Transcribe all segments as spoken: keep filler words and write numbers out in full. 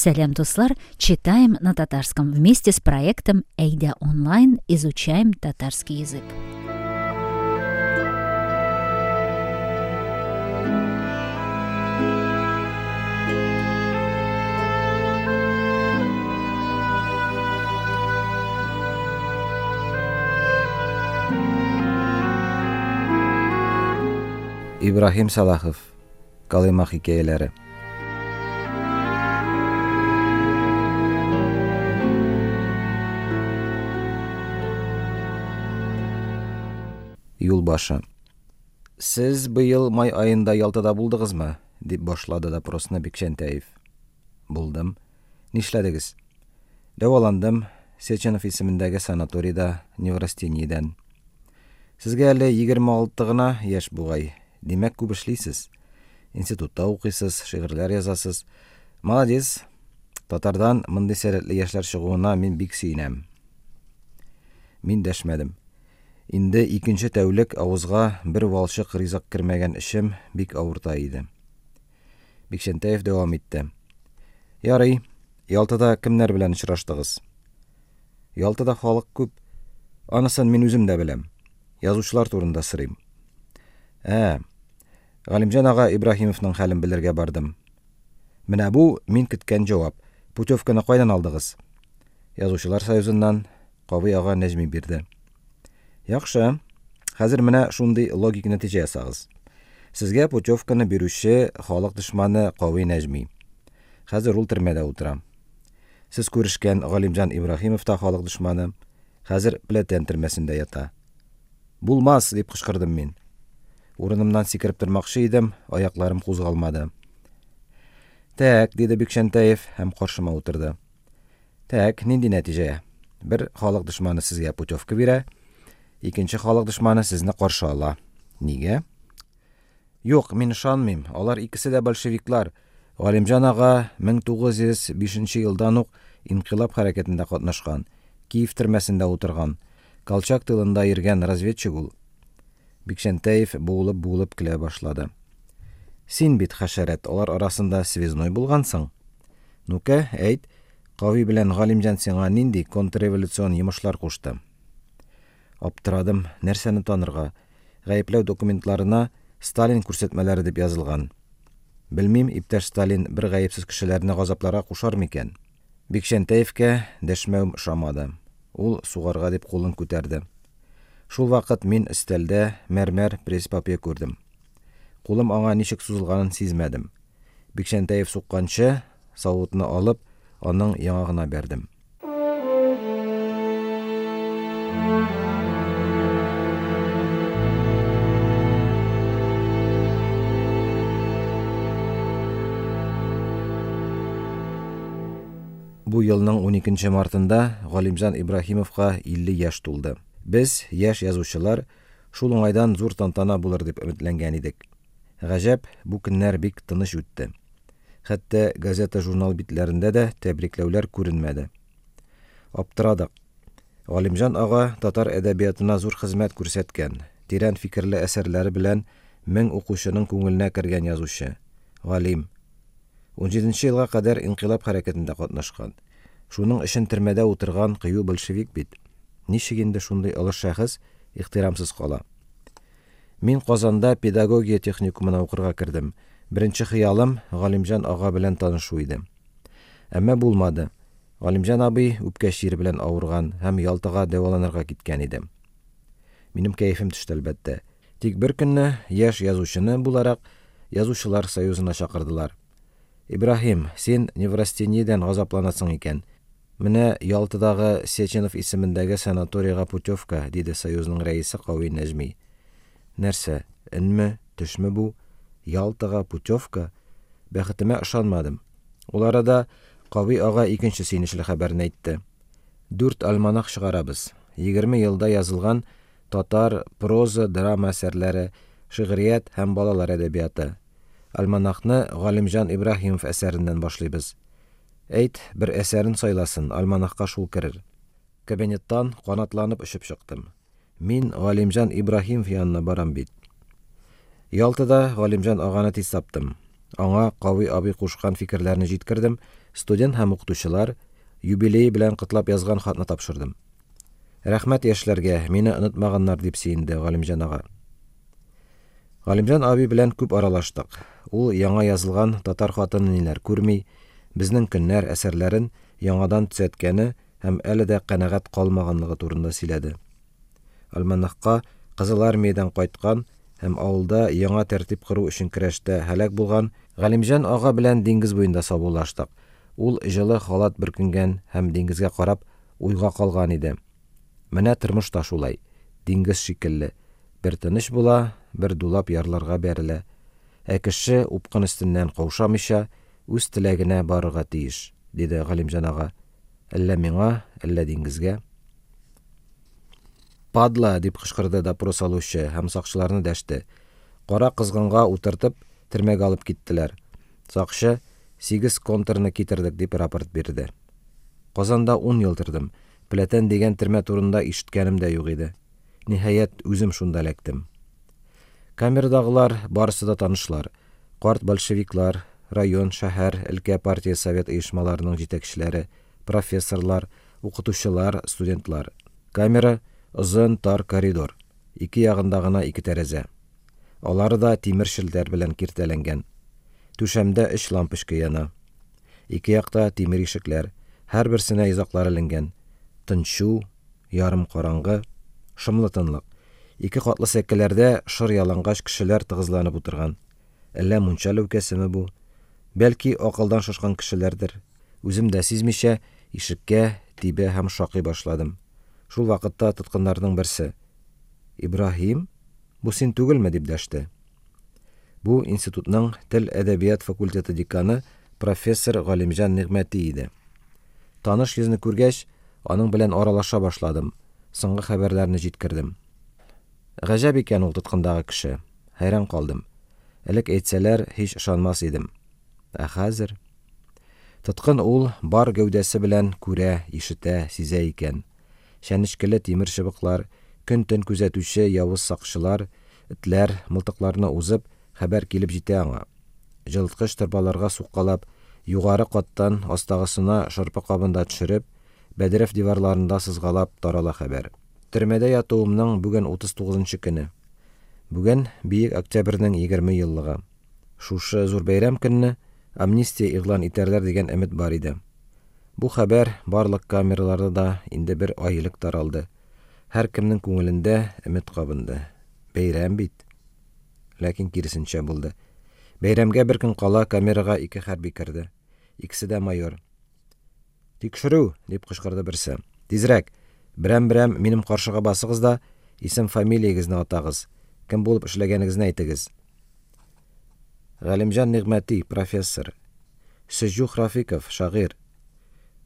Сәлам, дуслар! Читаем на татарском вместе с проектом «Әйдә онлайн» изучаем татарский язык. Ибраһим Салахов. Колыма хикәяләре. Юлбашы. Сез быел май аенда Ялтада булдыгызмы? Дип башлады допросны Бикчәнтәев. Булдым. Нишләдегез? Дәваландым. Сеченов исемендәге санаторийда неврастениядән. Сезгә әле егерме алты гына яшь бугай. Димәк, күп эшлисез. Институтта укыйсыз, шигырьләр язасыз. Молодец. Татардан мондый сәләтле яшьләр чыгуына мин бик сөенәм. Мин дәшмәдем. Инде икенче тәүлек авызга бер валчык ризык кермәгән эшем бик авырта иде. Бикчәнтәев дәвам итте. Ярый, Ялтада кемнәр белән очраштыгыз? Ялтада халык күп. Анысын мин үзем дә беләм. Язучылар турында сорыйм. Ә, Галимҗан ага Ибраһимовның хәлен белергә бардым. Менә бу мин көткән җавап. Путевканы кайдан алдыгыз? Язучылар союзыннан Кави ага Нәҗми бирде. Яхшы. Хәзер менә шундый логик нәтиҗә ясагыз. Сезгә путевканы бирүче халык дошманы Кави Нәҗми. Хәзер ул төрмәдә утыра. Сез күрешкән Галимҗан Ибраһимов та халык дошманы. Хәзер Пләтән төрмәсендә ята. Булмас, дип кычкырдым мин. Урынымнан сикереп тормакчы идем, аякларым кузгалмады. Тәк, диде Бикчәнтәев һәм каршыма утырды. Тәк, нинди нәтиҗә? Бер халык дошманы сезгә путевка бирә, икенче халык дошманы сезне каршы ала. Нигә? Юк, мин ышанмыйм. Алар икесе дә большевиклар. Галимҗан ага мең тугыз йөз бишенче елдан ук инкыйлаб хәрәкәтендә катнашкан, Киев төрмәсендә утырган, Колчак тылында йөргән разведчик ул. Бикчәнтәев буылып-буылып көлә башлады. Син бит хәшәрәт, алар арасында связной булгансың. Ну-ка, әйт, Кави белән Галимҗан сиңа нинди контрреволюцион йомышлар кушты? Аптырадым, нәрсәне танырга? Гаепләү документларына Сталин күрсәтмәләре дип язылган. Белмим, иптәш Сталин бер гаепсез кешеләрне газапларга кушар микән? Бикчәнтәевкә дәшмәү ошамады. Ул сугарга дип кулын күтәрде. Шул вакыт мин өстәлдә мәрмәр пресс-папье күрдем. Кулым аңа ничек сузылганын сизмәдем. Бикчәнтәев сукканчы савытны алып, аның яңагына бәрдем. Бу елның уникенче мартында Галимҗан Ибраһимовка илле яшь тулды. Без, яшь язучылар, шул уңайдан зур тантана булыр дип өметләнгән идек. Гаҗәп, бу көннәр бик тыныч үтте. Хәтта газета-журнал битләрендә дә тәбрикләүләр күренмәде. Аптырадык. Галимҗан ага татар әдәбиятына зур хезмәт күрсәткән, тирән фикерле әсәрләре белән мең укучының күңеленә кергән язучы, галим. Унҗиденче елга кадәр инкыйлаб хәрәкәтендә катнашкан. Шуның өчен төрмәдә утырган кыю большевик бит. Ничек инде шундый олы шәхес ихтирамсыз кала? Мин Казанда педагогия техникумына укырга кердем. Беренче хыялым Галимҗан ага белән танышу иде. Әмма булмады. Галимҗан абый үпкә чире белән авырган һәм Ялтага дәваланырга киткән иде. Минем кәефем төште әлбәттә. Тик бер көнне яшь язучыны буларак Язучылар союзына чакырдылар. Ибраһим, син неврастениядән газапланасың икән. Менә Ялтадагы Сеченов исемендәге санаторийга путевка, диде союзның рәисе Кави Нәҗми. Нәрсә, өнме, төшме бу? Ялтага путевка? Бәхетемә ышанмадым. Ул арада Кави ага икенче сөенечле хәбәрне әйтте. Дүрт альманах чыгарабыз. Егерме елда язылган татар проза, драма әсәрләре, шигърият һәм балалар әдәбияты. Альманахны Галимҗан Ибраһимов әсәреннән башлыйбыз. Әйт, бер әсәрен сайласын, альманахка шул керер. Кабинеттан канатланып очып чыктым. Мин Галимҗан Ибраһимов янына барам бит. Ялтада Галимҗан аганы тиз таптым. Аңа Кави абый кушкан фикерләрне җиткердем Студент һәм укытучылар юбилее белән котлап язган хатны тапшырдым. Рәхмәт яшьләргә, мине онытмаганнар, дип сөенде Галимҗан ага. Галимҗан абый белән күп аралаштык. Ул яңа язылган Татар хатыны ниләр күрми, Безнең көннәр әсәрләрен яңадан төзәткәне һәм әле дә канәгать калмаганлыгы турында сөйләде. Альманахка Кызыл Армиядән кайткан һәм авылда яңа тәртип кору өчен көрәштә һәлак булган Галимҗан ага белән диңгез буенда саубуллаштык. Ул җылы халат бөркенгән һәм диңгезгә карап уйга калган иде. Менә тормыш та шулай, диңгез шикелле, бер тыныч була, бер дулап ярларга бәрелә. Ә кеше упкын өстеннән каушамыйча, үз теләгенә барырга тиеш, диде Галимҗан ага. Әллә миңа, әллә диңгезгә. Падла! дип кычкырды допрос алучы һәм сакчыларны дәште. Кара козгынга утыртып, төрмәгә алып киттеләр. Сакчы, Сигез контрны китердек, дип рапорт бирде. Казанда ун ел тордым. Пләтән дигән төрмә турында ишеткәнем дә юк иде. Ниһаять, үзем шунда эләктем. Камерадагылар барысы да танышлар. Карт большевиклар, район, шәһәр, өлкә партия-совет оешмаларының җитәкчеләре, профессорлар, укытучылар, студентлар. Камера, озын, тар коридор. Ике ягында гына ике тәрәзә. Алары да тимер челтәр белән киртәләнгән. Түшәмдә өч лампочка яна. Ике якта тимер ишекләр, һәрберсенә йозаклар эленгән. Тынчу, ярым караңгы, шомлы тынлык. Ике катлы сәкеләрдә шыр ялангач кешеләр тыгызланып утырган. Әллә мунча ләүкәсеме бу? Бәлки, акылдан шашкан кешеләрдер. Үзем дә сизмичә, ишеккә тибә һәм шакый башладым. Шул вакытта тоткыннарның берсе: Ибраһим, бу син түгелме? дип дәште. Бу институтның тел-әдәбият факультеты деканы профессор Галимҗан Нигъмәти иде. Таныш йөзне күргәч, аның белән аралаша башладым, соңгы хәбәрләрне җиткердем. Гаҗәп икән ул тоткындагы кеше. Хәйран калдым. Элек әйтсәләр, һич ышанмас идем. Ә хәзер... Тоткын ул бар гәүдәсе белән күрә, ишетә, сизә икән. Чәнечкеле тимер чыбыклар, көн-төн күзәтүче явыз сакчылар, этләр, мылтыкларны узып, хәбәр килеп җитә аңа. Җылыткыч торбаларга суккалап, югары каттан астагысына шырпы кабын да төшереп, бәдрәф диварларында сызгалап тарала хәбәр. Төрмәдә ятуымның бүген утыз тугызынчы көне. Бүген Бөек Октябрьнең егерме еллыгы. Шушы зур бәйрәм көнне амнистия игълан итәрләр дигән өмет бар иде. Бу хәбәр барлык камераларда да инде бер ай элек таралды. Һәркемнең күңелендә өмет кабынды. Бәйрәм бит! Ләкин киресенчә булды. Бәйрәмгә бер көн кала камерага ике хәрби керде. Икесе дә майор. Тикшерү! дип кычкырды берсе. Тизрәк! Берәм-берәм минем каршыга басыгыз да, исем-фамилиягезне атагыз, кем булып эшләгәнегезне әйтегез. Галимҗан Нигъмәти, профессор. Сөҗүх Рафиков, шагыйрь.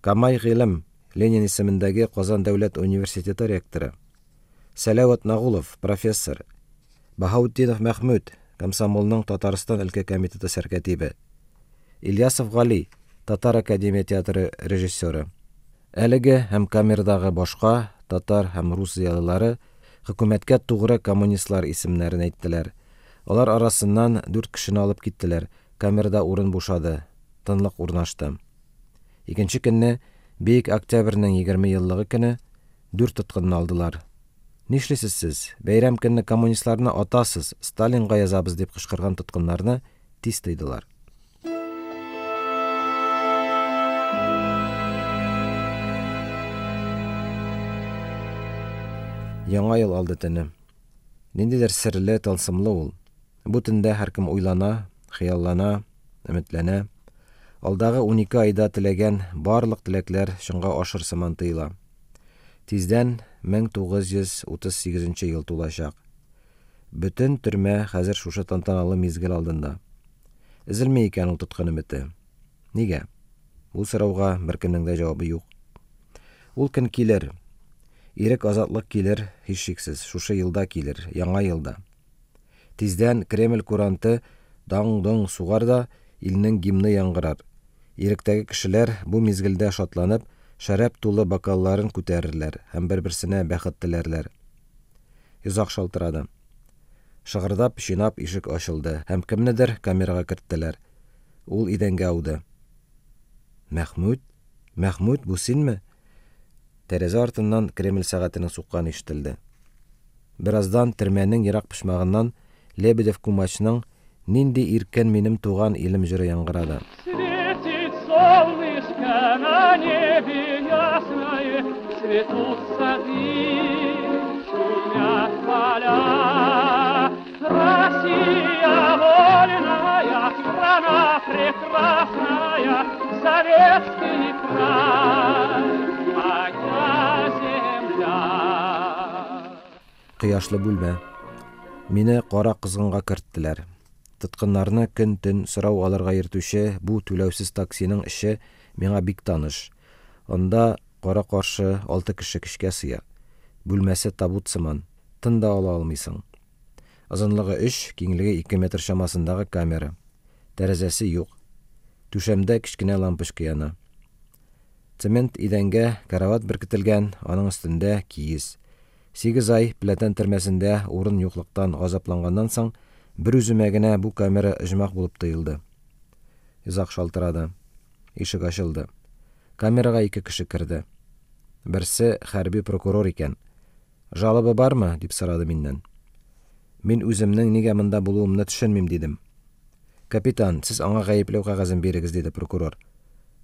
Камай Гыйлем, Ленин исемендәге Казан дәүләт университеты ректоры. Сәләват Нагулов, профессор. Баһаутдинов Мәхмүт, комсомолның Татарстан өлкә комитеты сәркәтибе. Ильясов Гали, Татар академия театры режиссеры. Әлеге һәм камерадагы башка татар һәм рус зыялылары хөкүмәткә тугры коммунистлар исемнәрен әйттеләр. Алар арасыннан дүрт кешене алып киттеләр, камерада урын бушады, тынлык урнашты. Икенче көнне, Бөек Октябрьнең егерме еллыгы көне, дүрт тоткынны алдылар. Нишлисез сез? Бәйрәм көнне коммунистларны атасыз, Сталинга язабыз, дип кычкырган тоткыннарны тиз тыйдылар. Яңа ел алды төне. Ниндидер серле, тылсымлы ул. Бу төндә һәркем уйлана, хыяллана, өметләнә. Алдагы унике айда теләгән барлык теләкләр чынга ашыр сыман тоела. Тиздән мең тугыз йөз утыз сигезенче ел тулачак. Бөтен төрмә хәзер шушы тантаналы мизгел алдында. Өзелми икән ул тоткан өмете. Нигә? Бу сорауга беркемнең дә җавабы юк. Ул көн килер. Ирек, азатлык килер, һичшиксез, шушы елда килер, яңа елда. Тиздән Кремль куранты даң-доң сугар да, илнең гимны яңгырар. Иректәге кешеләр бу мизгелдә шатланып, шәраб тулы бокалларын күтәрерләр һәм бер-берсенә бәхет теләрләр. Йозак шалтырады. Шыгырдап, чинап ишек ачылды һәм кемнедер камерага керттеләр. Ул идәнгә ауды. Мәхмүт? Мәхмүт, бу синме? Тәрәзә артыннан Кремль сәгатенең сукканы ишетелде. Бераздан төрмәнең ерак почмагыннан Лебедев Кумачның Нинди иркен минем туган илем җыры яңгырады. Светит солнышко на небе ясное, цветут сады, шумят поля. Россия вольная, страна прекрасная, советский край, моя земля. Кояшлы бүлмә. Мине кара кызгынга керттеләр. Тоткыннарны көн-төн сорау алырга йөртүче бу түләүсез таксиның эче миңа бик таныш. Анда кара-каршы алты кеше көчкә сыя. Бүлмәсе табут сыман, тын да ала алмыйсың. Озынлыгы өч, киңлеге ике метр чамасындагы камера. Тәрәзәсе юк. Түшәмдә кечкенә лампочка яна. Цемент идәнгә карават беркетелгән, аның өстендә киез. Сигез ай Пләтән төрмәсендә урын юклыктан газапланганнан соң, бер үземә генә бу камера оҗмах булып тоелды. Йозак шалтырады. Ишек ачылды. Камерага ике кеше керде. Берсе хәрби прокурор икән. Жалоба бармы? дип сорады миннән. Мин үземнең нигә монда булуымны төшенмим, дидем. Капитан, сез аңа гаепләү кәгазен бирегез, диде прокурор.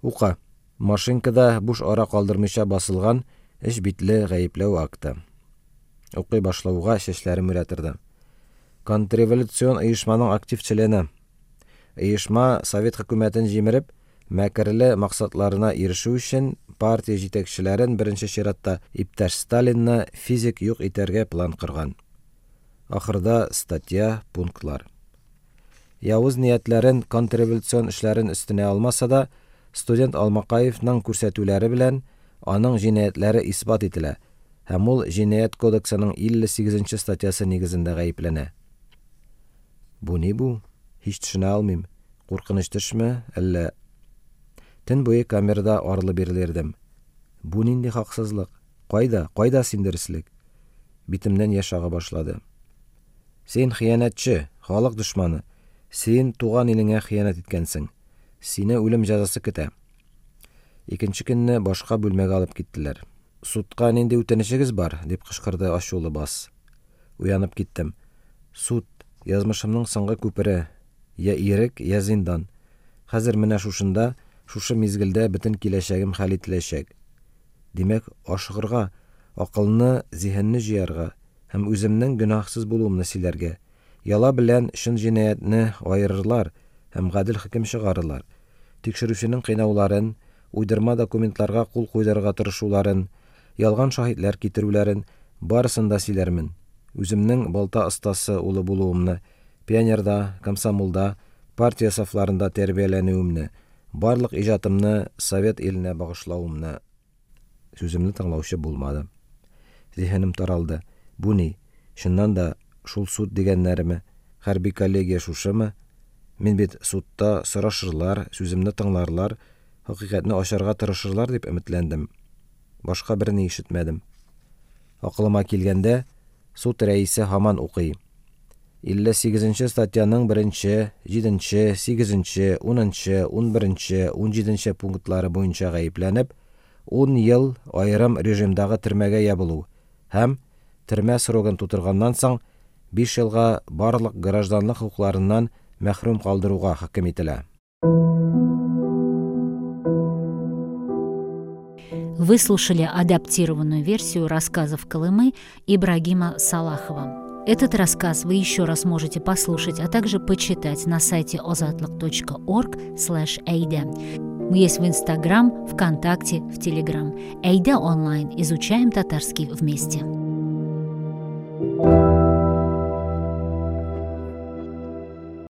Ука. Машинкада буш ара калдырмыйча басылган өч битле гаепләү акты. Укый башлауга чәчләрем үрә торды. Контрреволюцион оешманың актив члены. Оешма совет хөкүмәтен җимереп, мәкерле максатларына ирешү өчен партия җитәкчеләрен, беренче чиратта иптәш Сталинны физик юк итәргә план корган. Ахырда статья, пунктлар. Явыз ниятләрен, контрреволюцион эшләрен өстенә алмаса да, студент Алмакаевның күрсәтүләре белән аның җинаятьләре исбат ителә һәм ул җинаять кодексының илле сигезенче статьясы нигезендә гаепләнә. Бу ни бу? Һич төшенә алмыйм. Куркыныч төшме, әллә? Төн буе камерада арлы-бирле йөрдем. Бу нинди хаксызлык? Кайда, кайда син дөреслек? Битемнән яшь ага башлады. Син хыянәтче, халык дошманы. Син туган илеңә хыянәт иткәнсең. Сине үлем җәзасы көтә. Икенче көнне башка бүлмәгә алып киттеләр. Судка нинди үтенечегез бар? дип кычкырды ачулы бас. Уянып киттем. Суд, язмышымның соңгы күпере. Я ирек, я зиндан. Хәзер менә шушында, шушы мизгелдә бөтен киләчәгем хәл ителәчәк. Димәк, ашыгырга, акылны, зиһенне җыярга һәм үземнең гөнаһсыз булуымны сөйләргә. Яла белән чын җинаятьне аерырлар һәм гадел хөкем чыгарырлар. Тикшерүченең кыйнауларын, уйдырма документларга кул куйдырырга тырышуларын, ялган шаһитләр китерүләрен барысын да сөйләрмен. Үземнең балта остасы улы булуымны, пионерда, комсомолда, партия сафларында тәрбияләнүемне, барлык иҗатымны совет иленә багышлавымны. Сүземне тыңлаучы булмады. Зиһенем таралды. Бу ни? Чыннан да шул суд дигәннәреме? Хәрби коллегия шушымы? Мин бит судта сорашырлар, сүземне тыңларлар, хакыйкатьне ачарга тырышырлар дип өметләндем. Башка берни ишетмәдем. Акылыма килгәндә, суд рәисе һаман укый. Илле сигезенче статьяның беренче, җиденче, сигезенче, унынчы, унберенче, унҗиденче пунктлары буенча гаепләнеп, ун ел аерым режимдагы төрмәгә ябылу һәм төрмә срогын тутырганнан соң биш елга барлык гражданлык хокукларыннан мәхрүм калдыруга хөкем ителә. Вы слушали адаптированную версию рассказов Колымы Ибрагима Салахова. Этот рассказ вы еще раз можете послушать, а также почитать на сайте озатлык точка орг слэш эйдэ. Мы есть в Инстаграм, ВКонтакте, в Телеграм. Эйдэ онлайн. Изучаем татарский вместе.